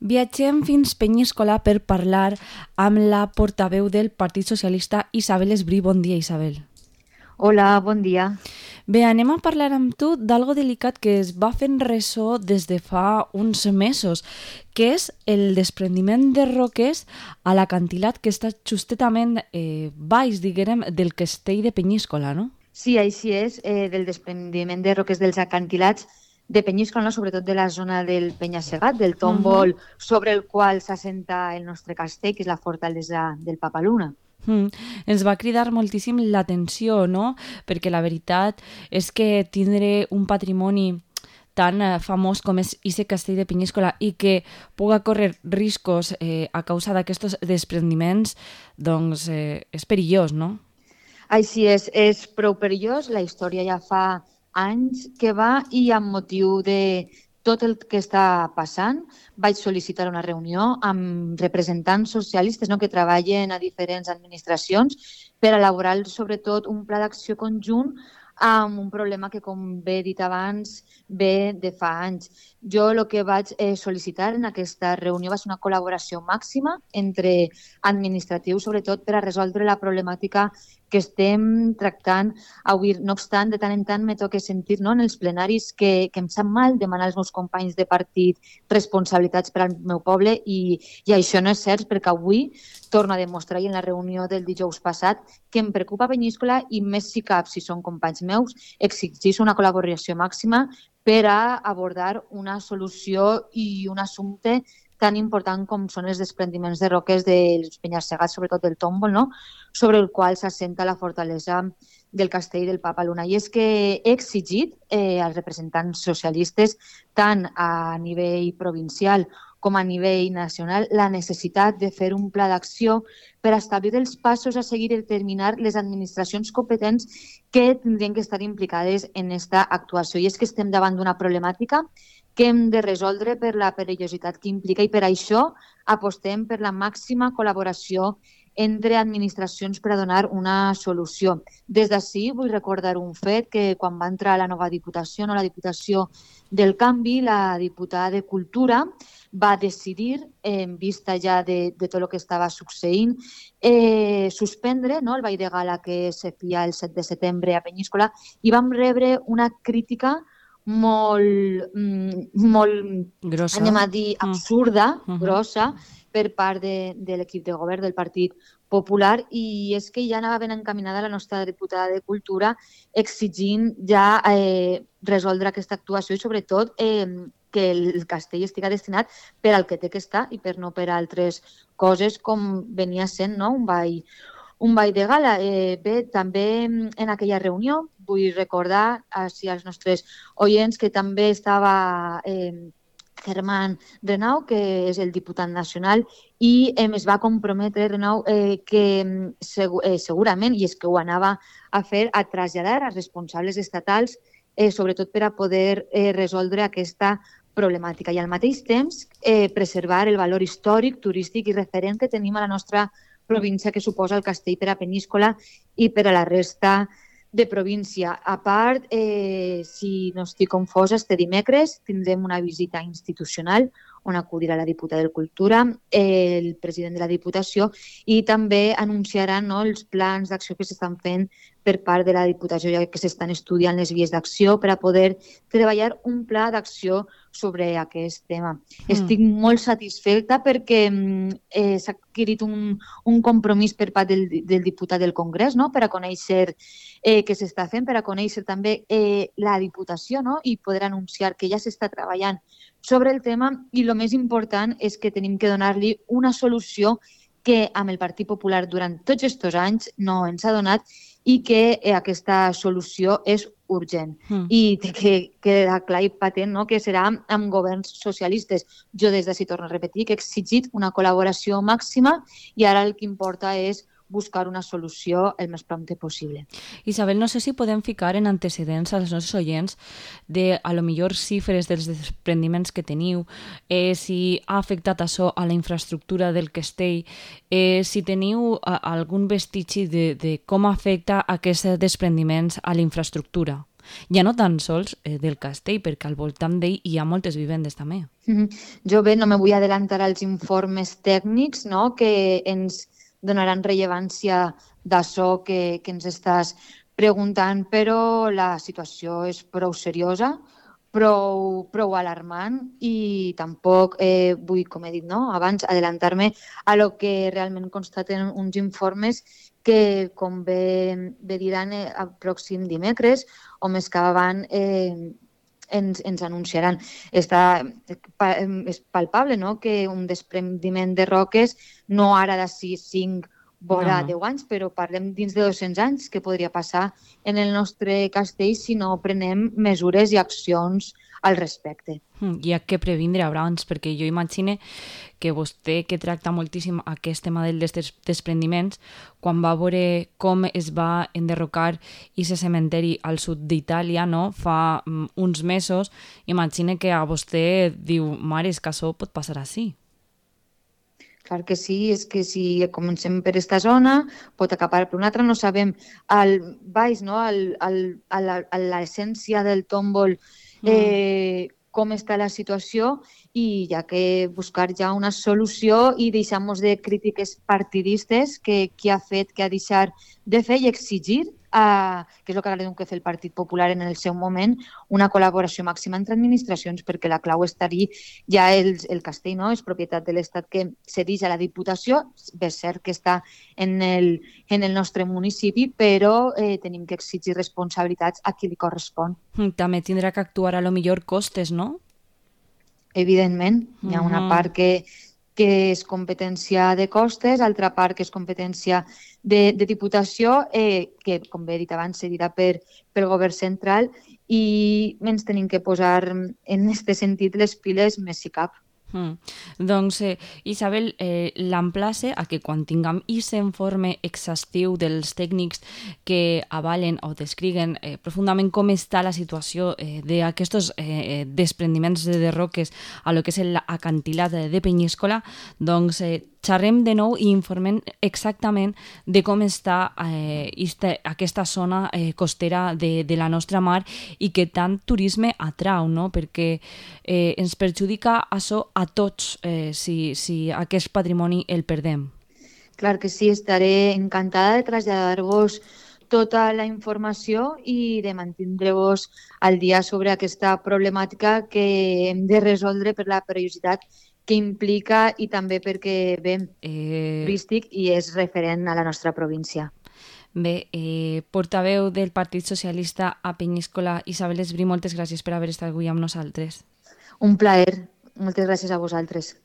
Viatgem fins Penyíscola per parlar amb la portaveu del Partit Socialista, Isabel Esbrí. Bon dia, Isabel. Hola, bon dia. Bé, anem a parlar amb tu d'algo delicat que es va fent ressò des de fa uns mesos, que és el desprendiment de roques a l'acantilat que està justetament baix, diguem, del castell de Penyíscola, no? Sí, així és, del desprendiment de roques dels acantilats de Penyíscola, no? Sobretot de la zona del Penya-segat, del tòmbol sobre el qual s'assenta el nostre castell, que és la fortalesa del Papaluna. Ens va cridar moltíssim l'atenció, no? Perquè la veritat és que tindre un patrimoni tan famós com és Ise Castell de Penyíscola i que puga córrer riscos a causa d'aquests desprendiments, doncs és perillós, no? Així és prou perillós. La història ja fa anys que va i amb motiu de tot el que està passant vaig sol·licitar una reunió amb representants socialistes, no, que treballen a diferents administracions per elaborar sobretot un pla d'acció conjunt amb un problema que, com bé he dit abans, ve de fa anys. Jo el que vaig sol·licitar en aquesta reunió va ser una col·laboració màxima entre administratius, sobretot per a resoldre la problemàtica que estem tractant avui. No obstant, de tant en tant me toca sentir, no, en els plenaris que em sap mal demanar als meus companys de partit responsabilitats per al meu poble i això no és cert, perquè avui torno a demostrar, i en la reunió del dijous passat, que em preocupa Penyíscola i més si cap, si són companys meus, exigeix una col·laboració màxima per a abordar una solució i un assumpte tan important com són els desprendiments de roques dels penya-segats, sobretot del tòmbol, no? Sobre el qual s'assenta la fortalesa del castell del Papaluna. I és que he exigit als representants socialistes, tant a nivell provincial com a nivell nacional, la necessitat de fer un pla d'acció per establir els passos a seguir i determinar les administracions competents que tindrien que estar implicades en aquesta actuació. I és que estem davant d'una problemàtica que hem de resoldre per la perillositat que implica i per això apostem per la màxima col·laboració entre administracions per a donar una solució. Des d'ací vull recordar un fet, que quan va entrar la nova Diputació, no, la Diputació del Canvi, la diputada de Cultura va decidir, en vista ja de tot el que estava succeint, suspendre, no, el ball de gala que se feia el 7 de setembre a Penyíscola, i vam rebre una crítica molt grossa, anem a dir, absurda, grossa, per part de l'equip de govern del Partit Popular, i és que ja anava ben encaminada la nostra diputada de Cultura exigint ja resoldre aquesta actuació i sobretot que el castell estigui destinat per al que té que estar i per no per a altres coses com venia sent, no, un ball de gala. Bé, també en aquella reunió vull recordar als nostres oients que també estava Germán Renau, que és el diputat nacional, i es va comprometre, Renau, que segurament, i és que ho anava a fer, a traslladar als responsables estatals, sobretot per a poder resoldre aquesta problemàtica i al mateix temps preservar el valor històric, turístic i referent que tenim a la nostra província, que suposa el castell per a Penyíscola i per a la resta de província. A part, si no estic confosa, este dimecres tindrem una visita institucional on acudirà la diputada de Cultura, el president de la Diputació, i també anunciaran, no, els plans d'acció que s'estan fent per part de la Diputació, ja que s'estan estudiant les vies d'acció per a poder treballar un pla d'acció sobre aquest tema. Estic molt satisfeta perquè s'ha adquirit un compromís per part del diputat del Congrés, no?, per a conèixer què s'està fent, per a conèixer també la Diputació, no?, i poder anunciar que ja s'està treballant sobre el tema, i el més important és que tenim que donar-li una solució que amb el Partit Popular durant tots aquests anys no ens ha donat i que aquesta solució és urgent. I té que quedar clar i patent, no?, que serà amb governs socialistes. Jo des d'ací torno a repetir que he exigit una col·laboració màxima i ara el que importa és buscar una solució el més prompte possible. Isabel, no sé si podem ficar en antecedents als nostres oients de, a lo millor, xifres dels desprendiments que teniu, si ha afectat això a la infraestructura del castell, si teniu algun vestigi de com afecta aquests desprendiments a la infraestructura. Ja no tan sols del castell, perquè al voltant d'ell hi ha moltes vivendes també. Jo bé, no me vull adelantar als informes tècnics, no?, que ens donaran rellevància d'això que ens estàs preguntant, però la situació és prou seriosa, prou alarmant i tampoc vull, com he dit, no?, abans adelantar-me a lo que realment constaten uns informes que, com bé diran, el pròxim dimecres o més que avant ens anunciaran. És palpable, no?, que un desprendiment de roques, no ara de 6, 5, vora 10 anys, però parlem dins de 200 anys que podria passar en el nostre castell si no prenem mesures i accions al respecte. Hi ha que previndre abans, perquè jo imagine que vostè, que tracta moltíssim aquest tema dels desprendiments, quan va veure com es va enderrocar aquest cementeri al sud d'Itàlia, no?, fa uns mesos, imagine que a vostè diu, mare, és que això pot passar així. Clar que sí, és que si comencem per aquesta zona, pot acabar per una altra, no sabem al baix, no?, a l'essència del tòmbol, com està la situació, i hi ha que buscar ja una solució i deixar-nos de crítiques partidistes que qui ha fet, que ha deixat de fer, i exigir, que és el que haurem de fer el Partit Popular en el seu moment, una col·laboració màxima entre administracions, perquè la clau estaria ja el castell, no?, és propietat de l'Estat que cedeix a la Diputació, és cert que està en el nostre municipi, però tenim que exigir responsabilitats a qui li correspon. També tindrà que actuar a lo millor costes, no? Evidentment, hi ha una part que és competència de costes, altra part que és competència de Diputació, que, com bé he dit abans, cedirà pel govern central, i ens tenim que posar en aquest sentit les piles més si cap. Doncs, Isabel, l'emplace a que quan tinguem aquest informe exhaustiu dels tècnics que avalen o descriguen profundament com està la situació d'aquests desprendiments de roques a lo que és l'acantilat de Penyíscola, doncs xerrem de nou i informem exactament de com està aquesta zona costera de la nostra mar i que tant turisme atrau, no?, perquè ens perjudica això a tots si aquest patrimoni el perdem. Clar que sí, estaré encantada de traslladar-vos tota la informació i de mantindre-vos al dia sobre aquesta problemàtica que hem de resoldre per la perillositat que implica i també perquè ve turístic i és referent a la nostra província. Bé, portaveu del Partit Socialista a Penyíscola, Isabel Esbrí, moltes gràcies per haver estat avui amb nosaltres. Un plaer. Moltes gràcies a vosaltres.